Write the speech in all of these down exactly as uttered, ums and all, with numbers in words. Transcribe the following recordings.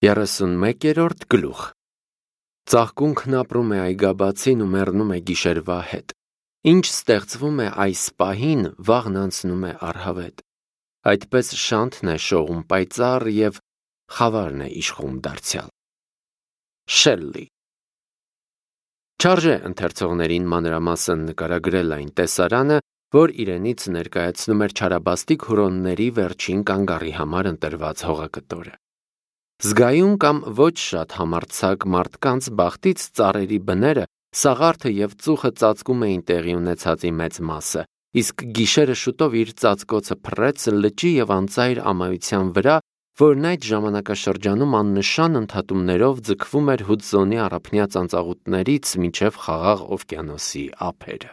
երեսունմեկերորդ գլուխ Ծաղկունքն ապրում է այգաբացին ու մեռնում է գիշերվա հետ։ Ինչ ստեղծվում է այս պահին, վաղն անցնում է առհավետ։ Այդպես շանթն է շողում պայծառ և խավարն է իշխում դարձյալ։ Շելլի Չարժե ընթերցողներին մանրամասն նկարագրել այն տեսարանը, որ իրենից ներկայացնում էր չարաբաստիկ հուրոնների վերջին կանգառի համար ընտրված հողակտորը։ Զգայուն կամ ոչ շատ համարձակ մարդկանց բախտից ծառերի բները, սաղարթը և ծուխը ծածկում էին տեղի ունեցածի մեծ մասը, իսկ գիշերը շուտով իր ծածկոցը փռեց լճի և անծայր ամայության վրա, որն այդ ժամանակաշրջանում աննշան ընդհատումներով ձգվում էր Հուդզոնի առափնյա ծանծաղուտներից մինչև Խաղաղ օվկիանոսի ափերը։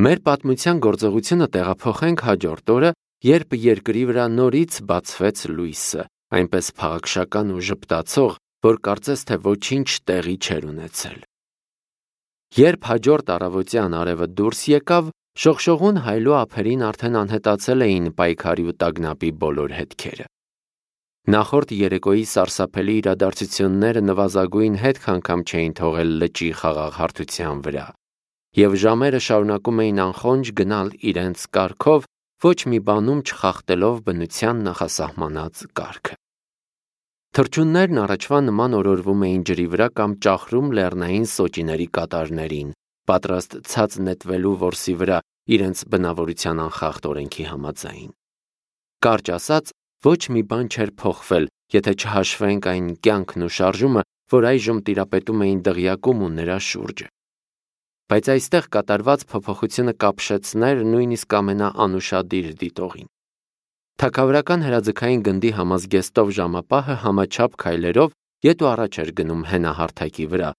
Մեր պատմության գործողությունը տեղափոխենք հաջորդ օրը, երբ երկրի վրա նորից բացվեց լույսը, այնպես փաղաքշական ու ժպտացող, որ կարծես թե ոչինչ տեղի չէր ունեցել։ Երբ հաջորդ առավոտյան արևը դուրս եկավ, շողշողուն հայլու ափերին արդեն անհետացել էին պայքարի ու տագնապի բոլոր հետքերը։ Նախորդ երեկոյի սարսափելի իրադարձությունները նվազագույն հետք անգամ չէին թողել լճի խաղաղ հարթության վրա, և ժամերը շարունակում էին անխոնջ գնալ իրենց կարգով, ոչ մի բանում չխախտելով բնության նախասահմանած կարգը։ Թռչուններն առաջվա նման օրորվում էին ջրի վրա կամ ճախրում լեռնային սոճիների կատարներին, պատրաստ ցած նետվելու որսի վրա իրենց բնավորության անխախտ օրենքի համաձայն։ Կարճ ասած, ոչ մի բան չէր փոխվել, եթե չհաշվենք այն կյանքն ու շարժումը, որ այժմ տիրապետում էին դղյակում ու նրա շուրջը։ Բայց այստեղ կատարված փոփոխությունը կապշեցներ նույնիսկ ամենաանուշադիր դիտողին։ Թագավորական հրաձգային գնդի համազգեստով ժամապահը համաչափ քայլերով ետ ու առաջ էր գնում հենահարթակի վրա,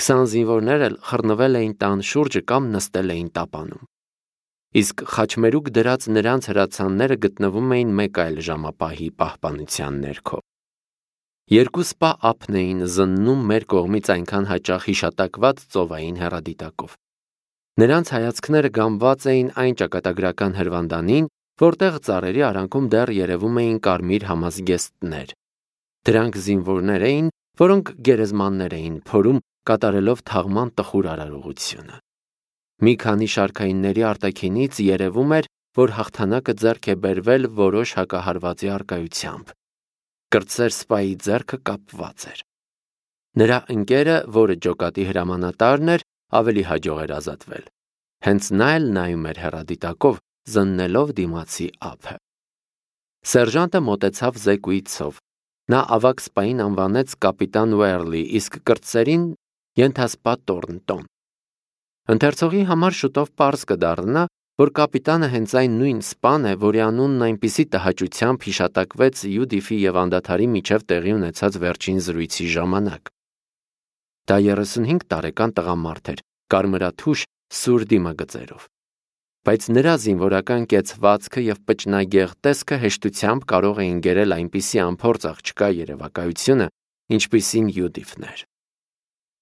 քսան զինվորներ էլ խռնվել էին տան շուրջը կամ նստել էին տապանում։ Իսկ խաչմերուկ դրած նրանց հրացանները գտնվում էին մեկ այլ ժամապահի պահպանության ներքո։ Երկու սպա ափն էին զննում մեր կողմից այնքան հաճախ հիշատակված ծովային հեռադիտակով։ Նրանց հայացքները գամված էին այն ճակատագրական հրվանդանին, որտեղ ծառերի արանքում դեռ երևում էին կարմիր համազգեստներ։ Դրանք զինվորներ էին, որոնք գերեզմաններ էին փորում, կատարելով թաղման տխուր արարողությունը։ Մի քանի շարքայինների արտաքինից երևում էր, որ հաղթանակը ձեռք է բերվել որոշ հակահարվածի առկայությամբ։ Կրտսեր սպայի ձեռքը կապված էր։ Նրա ընկերը, որը ջոկատի հրամանատարն էր, ավելի հաջող էր ազատվել։ Հենց նա էլ նայում էր հեռադիտակով, զննելով դիմացի ափը։ Սերժանտը մոտեցավ զեկույցով։ Նա ավագ սպային անվանեց կապիտան Ուերլի, իսկ կրտսերին ենթասպա Տորնտոն։ Ընթերցողի համար շուտով պարզ կդառնա, որ կապիտանը հենց այն նույն սպան է, որի անունն այնպիսի տհաճությամբ հիշատակվեց Յուդիֆի և անդադարի միջև տեղի ունեցած վերջին զրույցի ժամանակ։ Դա երեսունհինգ տարեկան տղամարդ էր, կարմրաթուշ, սուր դիմագծերով։ Բայց նրա զինվորական կեցվածքը և պճնագեղ տեսքը հեշտությամբ կարող էին գերել այնպիսի անփորձ աղջկա երևակայությունը, ինչպիսին Յուդիֆն էր։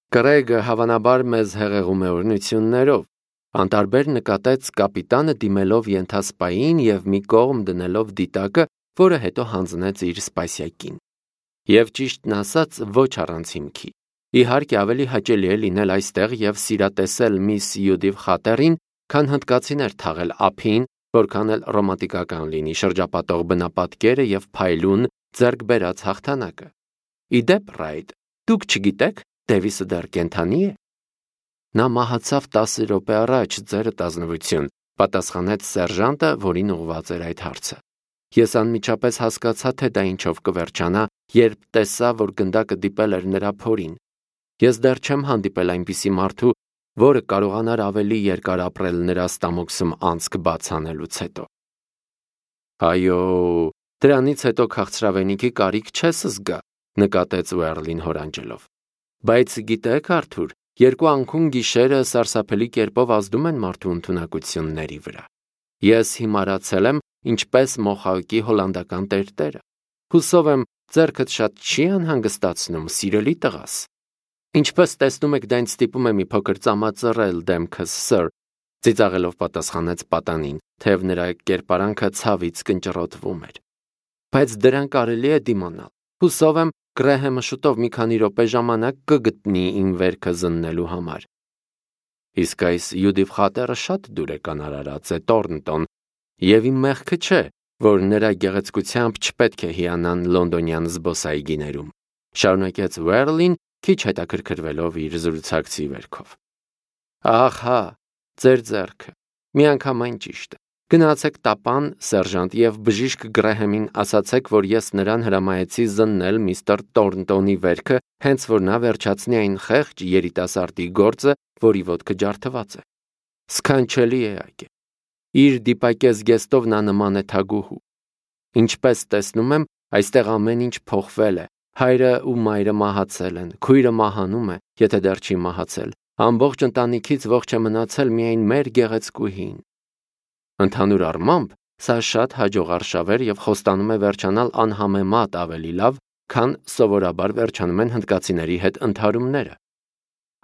Կրեգը հավանաբար մեզ հեղեղում է օրհնություններով, անտարբեր նկատեց կապիտանը դիմելով ենթասպային և մի կողմ դնելով դիտակը, որը հետո հանձնեց իր սպասյակին։ Եվ ճիշտն ասած, ոչ առանց հիմքի։ Իհարկե ավելի հաճելի է լինել այստեղ և սիրատեսել միս Յուդիֆ Խատերին, քան հնդկացիներ թաղել ափին, որքան էլ ռոմանտիկական լինի շրջապատող բնապատկերը և փայլուն ձեռք բերած հաղթանակը։ Ի դեպ, Ռայդ, դուք չգիտեք, Դևիսը դեռ կենդանի է։ Նա մահացավ տասը րոպե առաջ, ձերդ ազնվություն, պատասխանեց սերժանտը, որին ուղղված էր այդ հարցը։ Ես անմիջապես հասկացա, թե դա ինչով կվերջանա, երբ տեսա, որ գնդակը դիպել էր նրա փորին։ Ես դեռ չեմ հանդիպել այնպիսի մարդու, որը կարողանար ավելի երկար ապրել նրա ստամոքսում անցք բաց անելուց հետո։ Այո, դրանից հետո քաղցրավենիքի կարիք չես զգա, նկատեց Ուերլին հորանջելով։ Բայց գիտեք, Արթուր, երկու անկուն գիշերը սարսափելի կերպով ազդում են մարդու ընդունակությունների վրա։ Ես հիմարացել եմ, ինչպես Մոխավկի հոլանդական տերտերը։ Հուսով եմ, ձեռքդ շատ չի անհանգստացնում, սիրելի տղաս։ Ինչպես տեսնում եք, դա ինձ ստիպում է մի փոքր ծամածռել դեմքս, սըր, ծիծաղելով պատասխանեց պատանին, թեև նրա կերպարանքը ցավից կնճռոտվում էր։ Բայց դրան կարելի է դիմանալ։ Հուսով եմ, Գրեհեմը շուտով մի քանի րոպե ժամանակ կգտնի իմ վերքը զննելու համար։ Իսկ այս Յուդիվ խատերը շատ դուրեկան արարած է, Տորնտոն, եւ իմ մեղքը չէ, որ նրա գեղեցկությամբ չպետք է հիանան լոնդոնյան զբոսայգիներում, շարունակեց Վերլին, քիչ հետաքրքրվելով իր զրուցակցի վերքով։ Ահա, ձեր ձեռքը, միանգամայն ճիշտ է։ Գնացեք տապան, սերժանտ, եւ բժիշկ Գրեհեմին ասացեք, որ ես նրան հրամայեցի զննել միստր Տորնտոնի վերքը, հենց որ նա վերջացնի այն խեղճ երիտասարդի գործը, որի ոտքը ջարդված է։ Սքանչելի է այգե։ Իր դիպակես գեստով նա նման է թագուհու։ Ինչպես տեսնում եմ, այստեղ ամեն ինչ փոխվել է։ Հայրը ու մայրը մահացել են, քույրը մահանում է, եթե դեռ չի մահացել։ Ամբողջ ընտանիքից ողջ է մնացել միայն մեր գեղեցկուհին։ Ընդհանուր առմամբ, սա շատ հաջողարշավ էր եւ խոստանում է վերջանալ անհամեմատ ավելի լավ, քան սովորաբար վերջանում են հնդկացիների հետ ընդհարումները։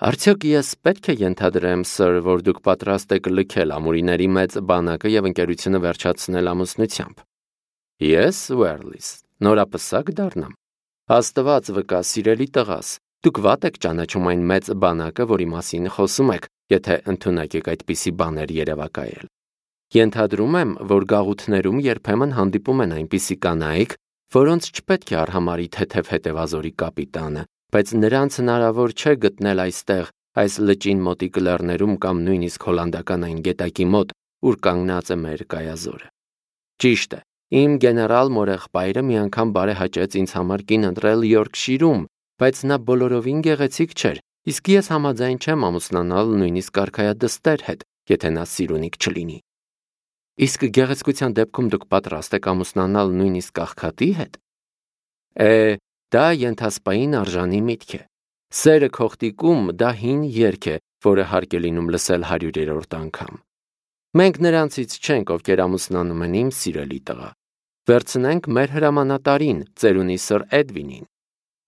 Արդյոք ես պետք է ենթադրեմ, սր, որ դուք պատրաստ եք լքել ամուրիների մեծ բանակը եւ ընկերությունը վերջացնել ամուսնությամբ։ Ես, Վերլիս, նորապսակ դառնամ։ Աստված վկա, սիրելի տղաս, դուք վատ եք ճանաչում այն մեծ բանակը, որի մասին խոսում եք, եթե ընդունակ եք այդպիսի բաներ երևակայել։ Ենթադրում եմ, որ գաղութներում երբեմն հանդիպում են այնպիսի կանայք, որոնց չպետք է արհամարի թեթև հետևազորի կապիտանը, բայց նրանց հնարավոր չէ գտնել այստեղ, այս լճին մոտիկ լեռներում կամ նույնիսկ հոլանդական այն գետակի մոտ, ուր կանգնած է մեր կայազորը։ Ճիշտ է, իմ գեներալ մորեղբայրը մի անգամ բարեհաճեց ինձ համար կին ընտրել Յորքշիրում, բայց նա բոլորովին գեղեցիկ չէր, իսկ ես համաձայն չեմ ամուսնանալ նույնիսկ արքայադստեր հետ, եթե նա սիրունիկ չլինի։ Իսկ գեղեցկության դեպքում դուք պատրաստ եք ամուսնանալ նույնիսկ աղքատի հետ։ Է, դա ենթասպային արժանի միտք է։ Սերը քողտիկում դա հին երգ է, որը հարկ է լինում լսել հարյուրերորդ անգամ։ Մենք նրանցից չենք, ովքեր ամուսնանում են, իմ սիրելի տղա։ Վերցնենք մեր հրամանատարին, ծերունի սր Էդվինին։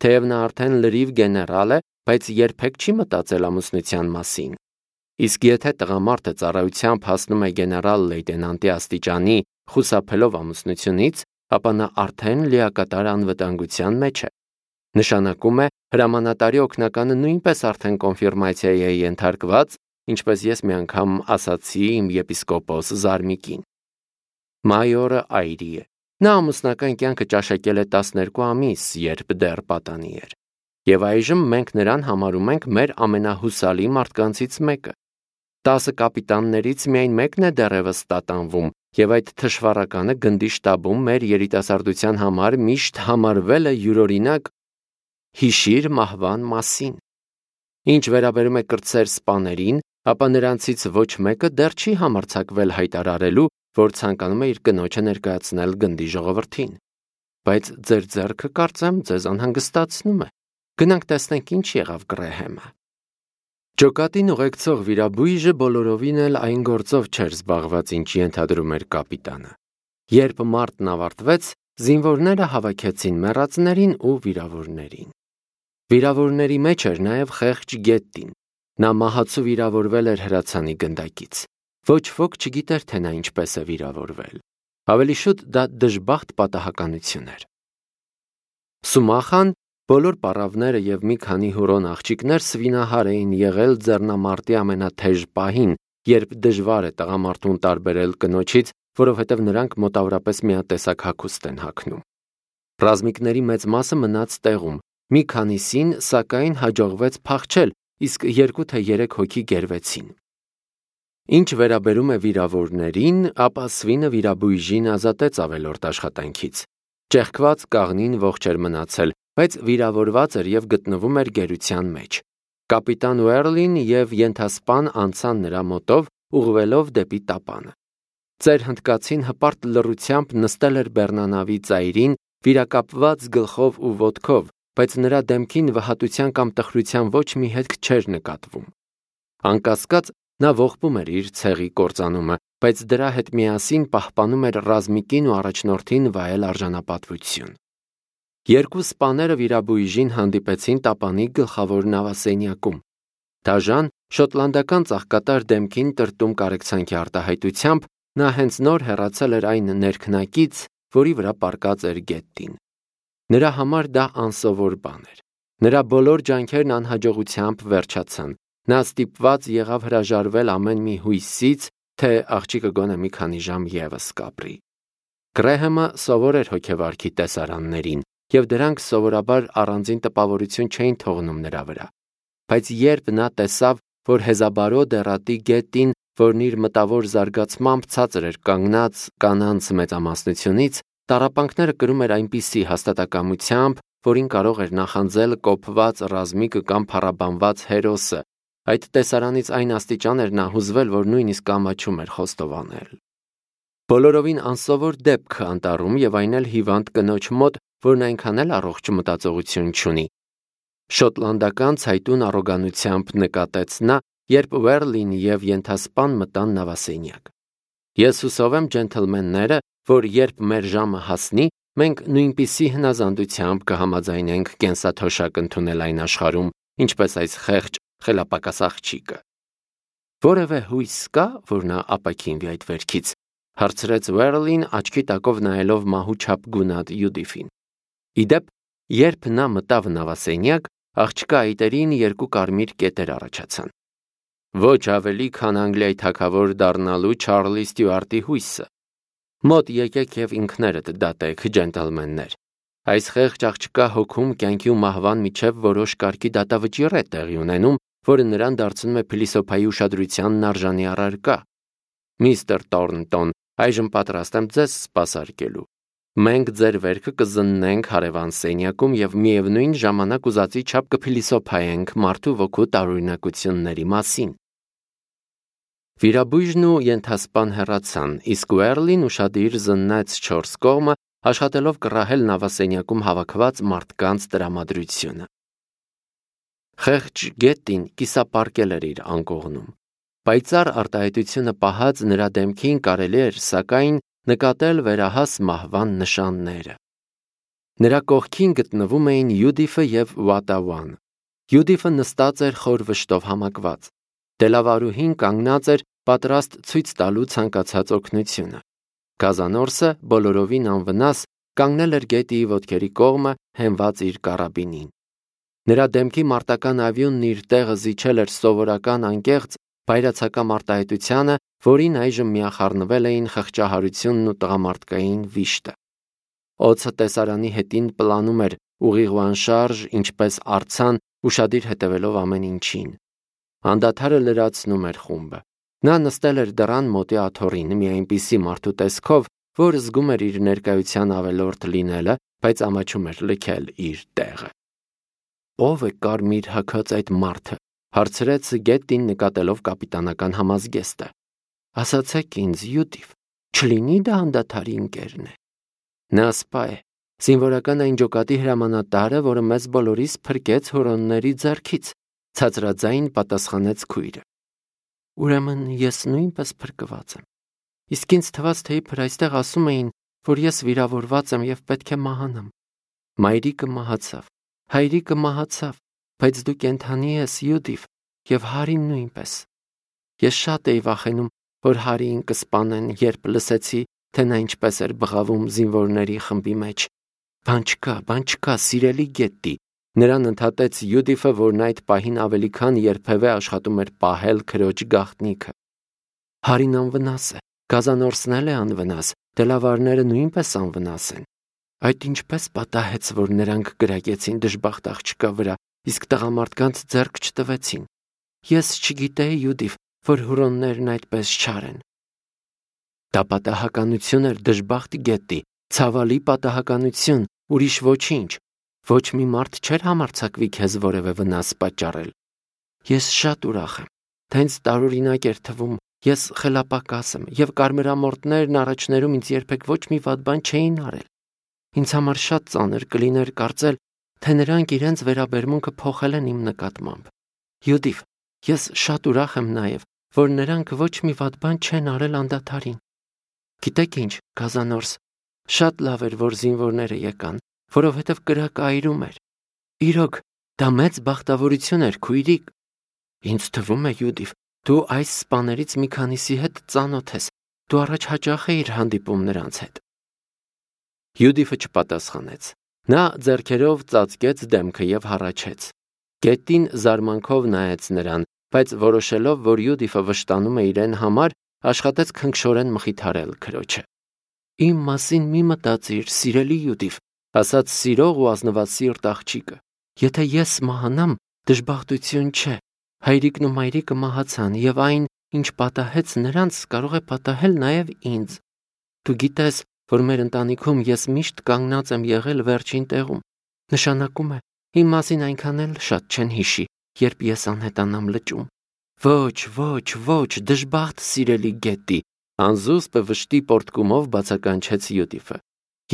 Թեև նա արդեն լրիվ գեներալ է, բայց երբեք չի մտածել ամուսնության մասին։ Իսկ եթե տղամարդը ծառայությամբ հասնում է գեներալ լեյտենանտի աստիճանի, խուսափելով ամուսնությունից, ապա նա արդեն լիակատար անվտանգության մեջ է։ Նշանակում է, հրամանատարի օգնականը նույնպես արդեն կոնֆիրմացիայի է ենթարկված, ինչպես ես մի անգամ ասացի իմ եպիսկոպոս Զարմիկին։ Մայորը այրի է։ Նա ամուսնական կյանքը ճաշակել է տասներկու ամիս, երբ դեռ պատանի էր։ Եվ այժմ մենք նրան համարում ենք մեր ամենահուսալի մարդկանցից մեկը։ Տասը կապիտաններից միայն մեկն է դեռևս տատանվում, եւ այդ թշվառականը գնդի շտաբում մեր երիտասարդության համար միշտ համարվել է յուրօրինակ հիշիր մահվան մասին։ Ինչ վերաբերում է կրտսեր սպաներին, ապա նրանցից ոչ մեկը դեռ չի համարձակվել հայտարարելու, որ ցանկանում է իր կնոջը ներկայացնել գնդի ժողովրդին։ Բայց ձեր ձեռքը, կարծեմ, ձեզ անհանգստացնում է։ Գնանք տեսնենք ինչ եղավ Գրեհեմը։ Ջոկատին ուղեկցող վիրաբույժը բոլորովին էլ այն գործով չէր զբաղված, ինչ ենթադրում էր կապիտանը։ Երբ մարտն ավարտվեց, զինվորները հավաքեցին մեռածներին ու վիրավորներին։ Վիրավորների մեջ էր նաև խեղճ Գետտին։ Նա մահացու վիրավորվել էր հրացանի գնդակից։ Ոչ ոք չգիտեր, թե նա ինչպես է վիրավորվել։ Ավելի շուտ դա դժբախտ պատահականություն էր։ Սումախան, բոլոր պառավները եւ մի քանի հուրոն աղջիկներ սվինահար էին եղել ձեռնամարտի ամենաթեժ պահին, երբ դժվար է տղամարդուն տարբերել կնոջից, որովհետև նրանք մոտավորապես միատեսակ հագուստ են հագնում։ Ռազմիկների մեծ մասը մնաց տեղում, մի քանիսին, սակայն, հաջողվեց փախչել, իսկ երկու թե երեք հոգի գերվեցին։ Ինչ վերաբերում է վիրավորներին, ապա Սվինը վիրաբույժին ազատեց ավելորդ աշխատանքից։ Ճեղքված կաղնին ողջ էր մնացել, բայց վիրավորված էր եւ գտնվում էր գերության մեջ։ Կապիտան Վերլին եւ ենթասպան անցան նրա մոտով, ուղղվելով դեպի տապանը։ Ծեր հնդկացին հպարտ լռությամբ նստել էր բեռնանավի ծայրին, վիրակապված գլխով ու ոտքով, բայց նրա դեմքին վհատության կամ տխրության ոչ մի հետք չէր նկատվում։ Անկասկած, նա ողբում էր իր ցեղի կործանումը, բայց դրա հետ միասին պահպանում էր ռազմիկին ու առաջնորդին վայել արժանապատվություն։ Երկու սպաները վիրաբույժին հանդիպեցին տապանի գլխավոր նավասենյակում։ Դաժան, շոտլանդական ծաղկատար դեմքին տրտում կարեկցանքի արտահայտությամբ, նա հենց նոր հեռացել էր այն ներքնակից, որի վրա պառկած էր Գետտին։ Նրա համար դա անսովոր բան էր։ Նրա բոլոր ջանքերն անհաջողությամբ վերջացան։ Նա ստիպված եղավ հրաժարվել ամեն մի հույսից, թե աղջիկը գոնե մի քանի ժամ ևս կապրի։ Գրեհեմը սովոր էր հոգևարքի տեսարաններին, և դրանք սովորաբար առանձին տպավորություն չէին թողնում նրա վրա։ Բայց երբ նա տեսավ, որ Հեզաբարո դեռատի գետին, որն իր մտավոր զարգացմամբ ցածր էր կանգնած կանանց մեծամասնությունից, տառապանքները կրում էր այնպիսի հաստատակամությամբ, որին կարող էր նախանձել կոփված ռազմիկը կամ փառաբանված հերոսը, այդ տեսարանից այն աստիճան էր նա հուզվել, որ նույնիսկ ամաչում էր խոստովանել։ Բոլորովին անսովոր դեպք անտառում և այն էլ հիվանդ կնոջ մոտ, որն այնքան էլ առողջ մտածողություն չունի։ Շոտլանդական ցայտուն առոգանությամբ նկատեց նա, երբ Ուերլին և ենթասպան մտան նավասենյակ։ Ես հուսով եմ, ջենթլմենները, որ երբ մեր ժամը հասնի, մենք նույնպիսի հնազանդությամբ կհամաձայնենք կենսաթոշակ ընդունել այն աշխարհում, ինչպես այս խեղճ խելապակաս աղջիկը։ Որևէ հույս կա, որ նա ապաքինվի այդ վերքից, հարցրեց Ուերլին աչքի տակով նայելով մահու չափ գունատ Յուդիֆին։ Իդեպ, երբ նա մտավ նավասենյակ, աղջկա այտերին երկու կարմիր կետեր առաջացան։ Ոչ ավելի, քան Անգլիայի թագավոր դառնալու Չարլի Ստյուարտի հույսը։ Մոտ եկեք և ինքներդ դատեք, ջենտլմեններ։ Այս խեղճ աղջկա հոգում կյանքի ու մահվան միջև որոշ կարգի դատավճիռ է տեղի ունենում, որը նրան դարձնում է փիլիսոփայի ուշադրությանն արժանի առարկա։ Միստր Տորնտոն, այժմ պատրաստ եմ ձեզ սպասարկելու։ Մենք ձեր վերքը կզննենք հարևան սենյակում և միևնույն ժամանակ ուզածի չափ կփիլիսոփայենք մարդու ոգու տարօրինակությունների մասին։ Վիրաբույժն ու ենթասպան հեռացան, իսկ Ուերլին ուշադիր զննեց չորս կողմը, աշխատելով կռահել նավասենյակում հավաքված մարդկանց տրամադրությունը։ Խեղճ գետին կիսապարկել էր իր անկողնում։ Պայծառ արտահայտությունը պահած նրա դեմքին կարելի էր, սակայն, նկատել վերահաս մահվան նշանները։ Նրա կողքին գտնվում էին Յուդիֆը և Վատավան։ Յուդիֆը նստած էր խոր վշտով համակված։ Դելավարուհին կանգնած էր, պատրաստ ցույց տալու ցանկացած օգնությունը։ Գազանորսը, բոլորովին անվնաս, կանգնել էր գետի ոտքերի կողմը, հենված իր կարաբինին։ Նրա դեմքի մարտական ավյունն իր տեղը զիջել էր սովորական անկեղծ բայրացակամ արտահայտությանը, որին այժմ միախառնվել էին խղճահարությունն ու տղամարդկային վիշտը։ Օձը տեսարանի հետին պլանում էր ուղիղ ու անշարժ, ինչպես արձան, ուշադիր հետևելով ամեն ինչին։ Անդադարը լրացնում էր խումբը։ Նա նստել էր դռան մոտի աթոռին, մի այնպիսի մարդու տեսքով, որ զգում էր իր ներկայության ավելորդ լինելը, բայց ամաչում էր լքել իր տեղը։ Ո՞վ է կարմիր հագած այդ մարդը, հարցրեց գետին նկատելով կապիտանական համազգեստը։ Ասացեք ինձ, Յուդիֆ, չլինի դա անդադարի ընկերն է։ Նա սպա է, զինվորական այն ջոկատի հրամանատարը, որը մեզ բոլորիս փրկեց հորոնների ձեռքից, ցածրաձայն պատասխանեց քույրը։ Ուրեմն ես նույնպես փրկված եմ։ Իսկ ինձ թվաց, թե իբր այստեղ ասում էին, որ ես վիրավորված եմ և պետք է մահանամ։ Մայրիկը մահացավ, հայրիկը մահացավ, բայց դու կենդանի ես, Յուդիֆ, և Հարին նույնպես։ Ես շատ էի վախենում, որ Հարիին կսպանեն, երբ լսեցի, թե նա ինչպես էր բղավում զինվորների խմբի մեջ։ Բան չկա, բան չկա, սիրելի գետի։ Նրան ընդհատեց Յուդիֆը, որն այդ պահին ավելի քան երբևէ աշխատում էր պահել քրոջ գաղտնիքը։ Հարին անվնաս է, Գազանորսն էլ է անվնաս, դելավարները նույնպես անվնաս են։ Այդ ինչպես պատահեց, որ նրանք կրակեցին դժբախտ աղջկա վրա, իսկ տղամարդկանց ձեռք չտվեցին։ Ես չգիտեի, Յուդիֆ, որ հուրոններն այդպես չար են։ Դա պատահականություն էր, դժբախտ գետի, ցավալի պատահականություն, ուրիշ ոչինչ։ Ոչ մի մարդ չէր համարձակվի քեզ որևէ վնաս պատճառել։ Ես շատ ուրախ եմ, թե ինձ տարօրինակ էր թվում, ես խելապակաս եմ, և կարմրամորթներն առաջներում ինձ երբեք ոչ մի վատ բան չէին արել։ Ինձ համար շատ ծանր կլիներ կարծել, թե նրանք իրենց վերաբերմունքը փոխել են իմ նկատմամբ։ Յուդիֆ, ես շատ ուրախ եմ նաև, որ նրանք ոչ մի վատ բան չեն արել անդադարին։ Գիտեք ինչ, Գազանորս, շատ լավ էր, որ զինվորները եկան, որովհետև կրակը այրում էր։ Իրոք, դա մեծ բախտավորություն էր, քույրիկ։ Ինձ թվում է, Յուդիֆ, դու այս սպաներից մի քանիսի հետ ծանոթ ես, դու առաջ հաճախ էիր հանդիպում նրանց հետ։ Յուդիֆը չպատասխանեց։ Նա ձեռքերով ծածկեց դեմքը և հառաչեց։ Գետին զարմանքով նայեց նրան, բայց որոշելով, որ Յուդիֆը վշտանում է իրեն համար, աշխատեց քնքշորեն մխիթարել քրոջը։ «Իմ մասին մի մտածիր, սիրելի Յուդիֆ», ասաց սիրող ու ազնված սիրտ աղջիկը։ «Եթե ես մահանամ, դժբախտություն չէ։ Հայրիկն ու մայրիկը մահացան, և այն, ինչ պատահեց նրանց, կարող է պատահել նաև ինձ։ Դու գիտես, որ մեր ընտանիքում ես միշտ կանգնած եմ եղել վերջին տեղում։ Նշանակում է, իմ մասին այնքան էլ շատ չեն հիշի, երբ ես անհետանամ լճում։ Ոչ, ոչ, ոչ, դժբախտ սիրելի Գետի», անզուսպ վշտի պոռթկումով բացականչեց Յուդիֆը։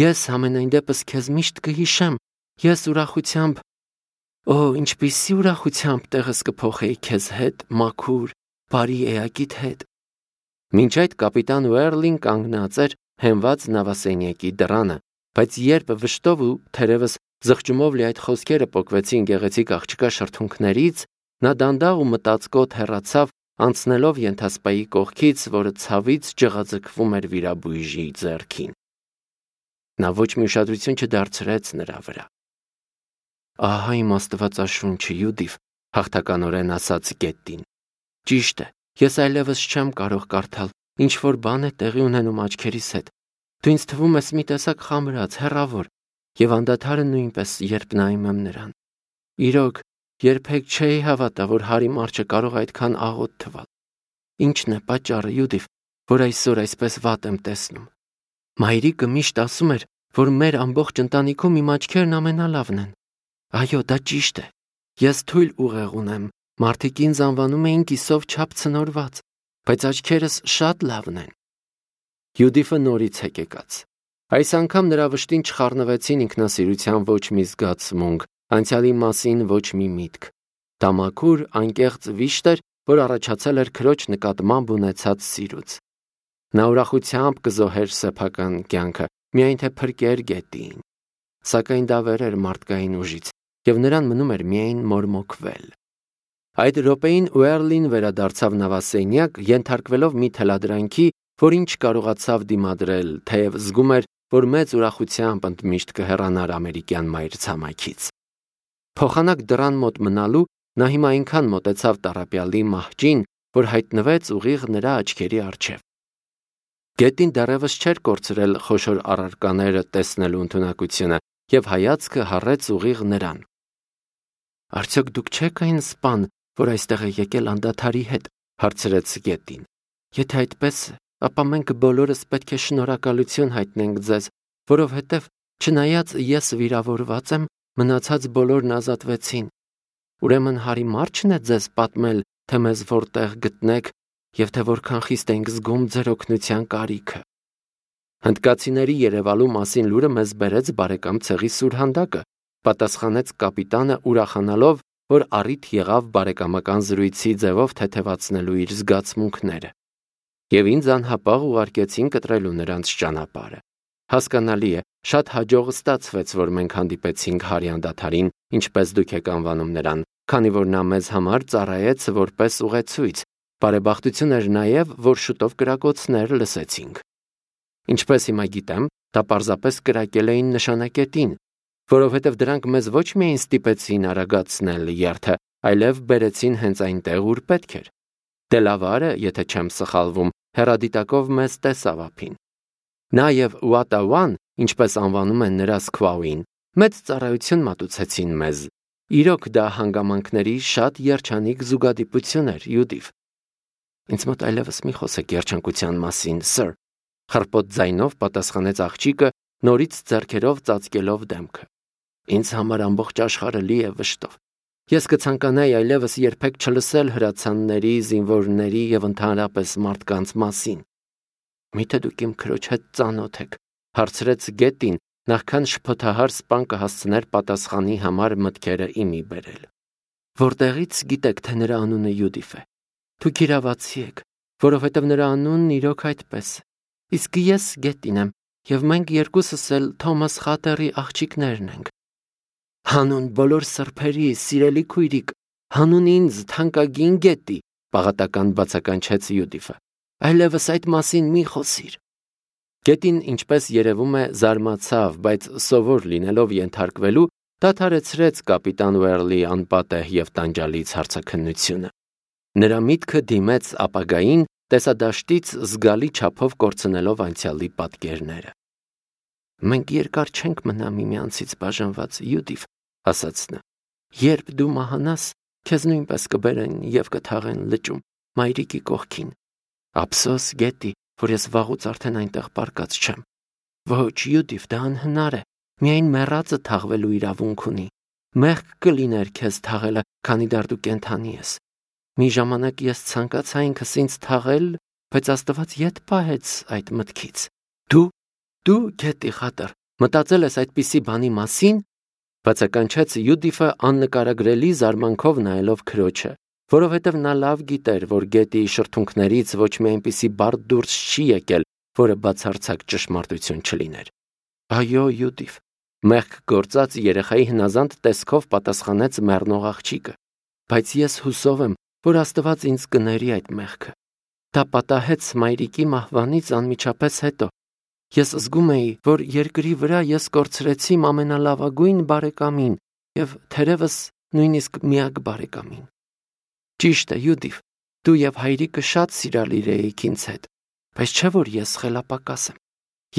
«Ես համենայն դեպս քեզ միշտ կհիշեմ, ես ուրախությամբ, օ, ինչպիսի ուրախությամբ տեղս կփոխեի քեզ հետ, մաքուր, բարի էակիդ հետ»։ Մինչ այդ կապիտան Ուերլին կանգնած էր հենված նավասենյակի դռանը, բայց երբ վշտով ու թերևս զղջումով լի այդ խոսքերը պոկվեցին գեղեցիկ աղջկա շրթունքներից, նա դանդաղ ու մտածկոտ հեռացավ, անցնելով ենթասպայի կողքից, որը ցավից ջղաձգվում էր վիրաբույժի ձեռքին։ Նա ոչ մի ուշադրություն չդարձրեց նրա վրա։ «Ահա իմ աստվածաշունչը, Յուդիֆ», հաղթականորեն ասաց Գետին։ «Ճիշտ է, ես այլևս չեմ կարող կարդալ, ինչ որ բան է տեղի ունենում աչքերիս հետ։ Դու ինձ թվում ես մի տեսակ խամրած, հեռավոր, և անդադարը նույնպես, երբ նայում եմ նրան։ Իրոք, երբեք չէի հավատա, որ Հարի Մարչը կարող այդքան աղոտ թվալ։ Ինչն է պատճառը, Յուդիֆ, որ այսօր այսպես վատ եմ տեսնում։ Մայրիկը միշտ ասում էր, որ մեր ամբողջ ընտանիքում իմ աչքերն ամենալավն են։ Այո, դա ճիշտ է։ Ես թույլ ուղեղ ունեմ, մարդիկ ինձ անվանում էին կիսով չափ ցնորված, բայց աչքերս շատ լավն են»։ Յուդիֆը նորից հեկեկաց։ Այս անգամ նրա վշտին չխառնվեցին ինքնասիրության ոչ մի զգացմունք, անցյալի մասին ոչ մի միտք։ Դա մաքուր, անկեղծ վիշտ էր, որ առաջացել էր քրոջ նկատմամբ ունեցած սիրուց։ Նա ուրախությամբ կզոհեր սեփական կյանքը, միայն թե փրկեր Գետիին։ Սակայն դա վեր էր մարդկային ուժից, և նրան մնում էր միայն մորմոքվել։ Այդ րոպեին Ուերլին վերադարձավ նավասենյակ, ենթարկվելով մի թելադրանքի, որին չկարողացավ դիմադրել, թեև զգում էր, որ մեծ ուրախությամբ ընդմիշտ կհեռանար ամերիկյան մայրցամաքից։ Փոխանակ դռան մոտ մնալու նա հիմա այնքան մոտեցավ տառապյալի մահճին, որ հայտնվեց ուղիղ նրա աչքերի առջև։ Գետին դեռևս չէր կորցրել խոշոր առարկաները տեսնելու ընդունակությունը և հայացքը հառեց ուղիղ նրան։ «Արդյոք դուք չեք այն սպան, որ այստեղ է եկել անդադարի հետ», հարցրեց Գետին։ «Եթե այդպես է, ապա մենք բոլորս պետք է շնորհակալություն հայտնենք ձեզ, որովհետև չնայած ես վիրավորված եմ, մնացած բոլորն ազատվեցին։ Ուրեմն Հարի Մարչն է ձեզ պատմել, թե մեզ որտեղ գտնեք և թե որքան խիստ ենք զգում ձեր օգնության կարիքը»։ «Հնդկացիների երևալու մասին լուրը մեզ բերեց բարեկամ ցեղի սուրհանդակը», պատասխանեց կապիտանը, ուրախանալով, որ առիթ եղավ բարեկամական զրույցի ձևով թեթևացնելու իր զգացմունքները։ «Եվ ինձ անհապաղ ուղարկեցին կտրելու նրանց ճանապարհը։ Հասկանալի է, շատ հաջող ստացվեց, որ մենք հանդիպեցինք Հարի անդադարին, ինչպես դուք եք անվանում նրան, քանի որ նա մեզ համար ծառայեց որպես ուղեցույց։ Բարեբախտություն էր նաև, որ շուտով կրակոցներ լսեցինք։ Ինչպես հիմա գիտեմ, դա պարզապես կրակել էին նշանակետին, որովհետև դրանք մեզ ոչ միայն ստիպեցին արագացնել երթը, այլև բերեցին հենց այնտեղ, ուր պետք էր։ Դելավարը, եթե չեմ սխալվում, հեռադիտակով մեզ տեսավ ափին։ Նա և Ուատավան, ինչպես անվանում են նրա Սքվաուին, մեծ ծառայություն մատուցեցին մեզ։ Իրոք դա հանգամանքների շատ երջանիկ զուգադիպություն էր, Յուդիֆ»։ «Ինձ մոտ այլևս մի խոսեք երջանկության մասին, սըր», խռպոտ ձայնով պատասխանեց աղջիկը, նորից ձեռքերով ծածկելով դեմքը։ «Ինձ համար ամբողջ աշխարհը լի է վշտով։ Ես կցանկանայի այլևս երբեք չլսել հրացանների, զինվորների և ընդհանրապես մարդկանց մասին»։ «Միթե դուք իմ քրոջ հետ ծանոթ եք», հարցրեց Գետին, նախքան շփոթահար սպան կհասցներ պատասխանի համար մտքերը իմի բերել։ «Որտեղից գիտեք, թե նրա անունը Յուդիֆ է։ Դուք իրավացի եք, որովհետև նրա անունն իրոք այդպես է։ Իսկ ես Գետին եմ, և մենք երկուսս էլ Թոմաս Խատերի աղջիկներն ենք»։ «Հանուն բոլոր սրբերի, սիրելի քույրիկ, հանուն ինձ, թանկագին Գետի», պաղատական բացականչեց Յուդիֆը, «այլևս այդ մասին մի խոսիր»։ Գետին, ինչպես երևում է, զարմացավ, բայց սովոր լինելով ենթարկվելու, դադարեցրեց կապիտան Ուերլի անպատեհ և տանջալից հարցաքննությունը։ Նրա միտքը դիմեց ապագային, տեսադաշտից զգալի չափով կորցնելով անցյալի պատկերները։ «Մենք երկար չենք մնա միմյանցից բաժանված, Յուդիվ», ասաց նա։ «Երբ դու մահանաս, քեզ նույնպես կբերեն և կթաղեն լճում, մայրիկի կողքին։ Ափսոս գետի, որ ես վաղուց արդեն այնտեղ պառկած չեմ։ Ոչ, Յուդիվ, դա անհնար է, միայն մեռածը թաղվելու իրավունք ունի։ Մեղք կլիներ քեզ թաղելը, քանի դեռ դու կենդանի ես։ Մի ժամանակ ես ցանկացա ինքս ինձ թաղել, բայց Աստված ետ պահեց այդ մտքից։ Դու, դու գետի խատր, մտածել ես այդպիսի բանի մասին», բացականչեց Յուդիֆը աննկարագրելի զարմանքով նայելով քրոջը, որովհետև նա լավ գիտեր, որ գետի շրթունքներից ոչ մի այնպիսի բառ դուրս չի եկել, որը բացարձակ ճշմարտություն չլիներ։ «Այո, Յուդիվ», մեղք գործած երեխայի հնազանդ տեսքով պատասխանեց մեռնող աղջիկը, «բայց ես հուսով եմ, որ Աստված ինձ կների այդ մեղքը։ Դա պատահեց մայրիկի մահվանից անմիջապես հետո։ Ես զգում էի, որ երկրի վրա ես կորցրեցի իմ ամենալավագույն բարեկամին և թերևս նույնիսկ միակ բարեկամին։ Ճիշտ է, Յուդիվ, դու և հայրիկը շատ սիրալիր էիք ինձ հետ, բայց չէ՞ որ ես խելապակաս եմ։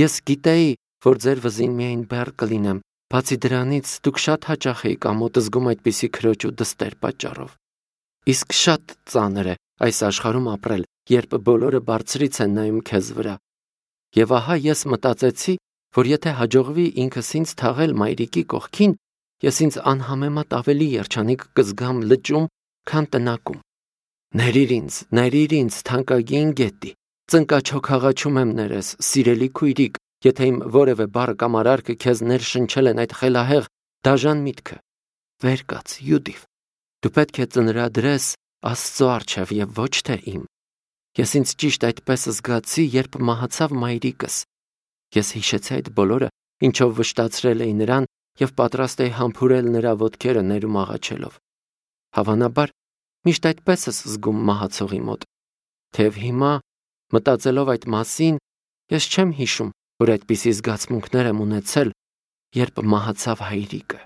Ես գիտեի, որ ձեր վզին միայն բեռ կլինեմ, բացի դրանից դուք շատ հաճախ էիք ամոթ զգում այդպիսի քրոջ ու դստեր պատճառով։ Իսկ շատ ծանր է այս աշխարհում ապրել, երբ բոլորը բարձրից են նայում քեզ վրա։ Եվ ահա ես մտածեցի, որ եթե հաջողվի ինքս ինձ թաղել մայրիկի կողքին, ես ինձ անհամեմատ ավելի երջանիկ կզգամ լճում, քան տնակում։ Ներիր ինձ, ներիր ինձ, թանկագին գետի, ծնկաչոքաղաչում եմ ներես, սիրելի քույրիկ, եթե իմ որևէ բառ կամ արարքը քեզ ներշնչել են այդ խելահեղ, դաժան միտքը։ Վեր կաց, Յուդիվ, դու պետք է ծնրադրես Աստծո առջև և ոչ թե իմ։ Ես ինձ ճիշտ այդպես զգացի, երբ մահացավ մայրիկս։ Ես հիշեցի այդ բոլորը, ինչով վշտացրել էի նրան և պատրաստ էի համբուրել նրա ոտքերը ներում աղաչելով։ Հավանաբար, միշտ այդպես ես զգում մահացողի մոտ։ Թեև հիմա, մտածելով այդ մասին, ես չեմ հիշում, որ այդպիսի զգացմունքներ եմ ունեցել, երբ մահացավ հայրիկը։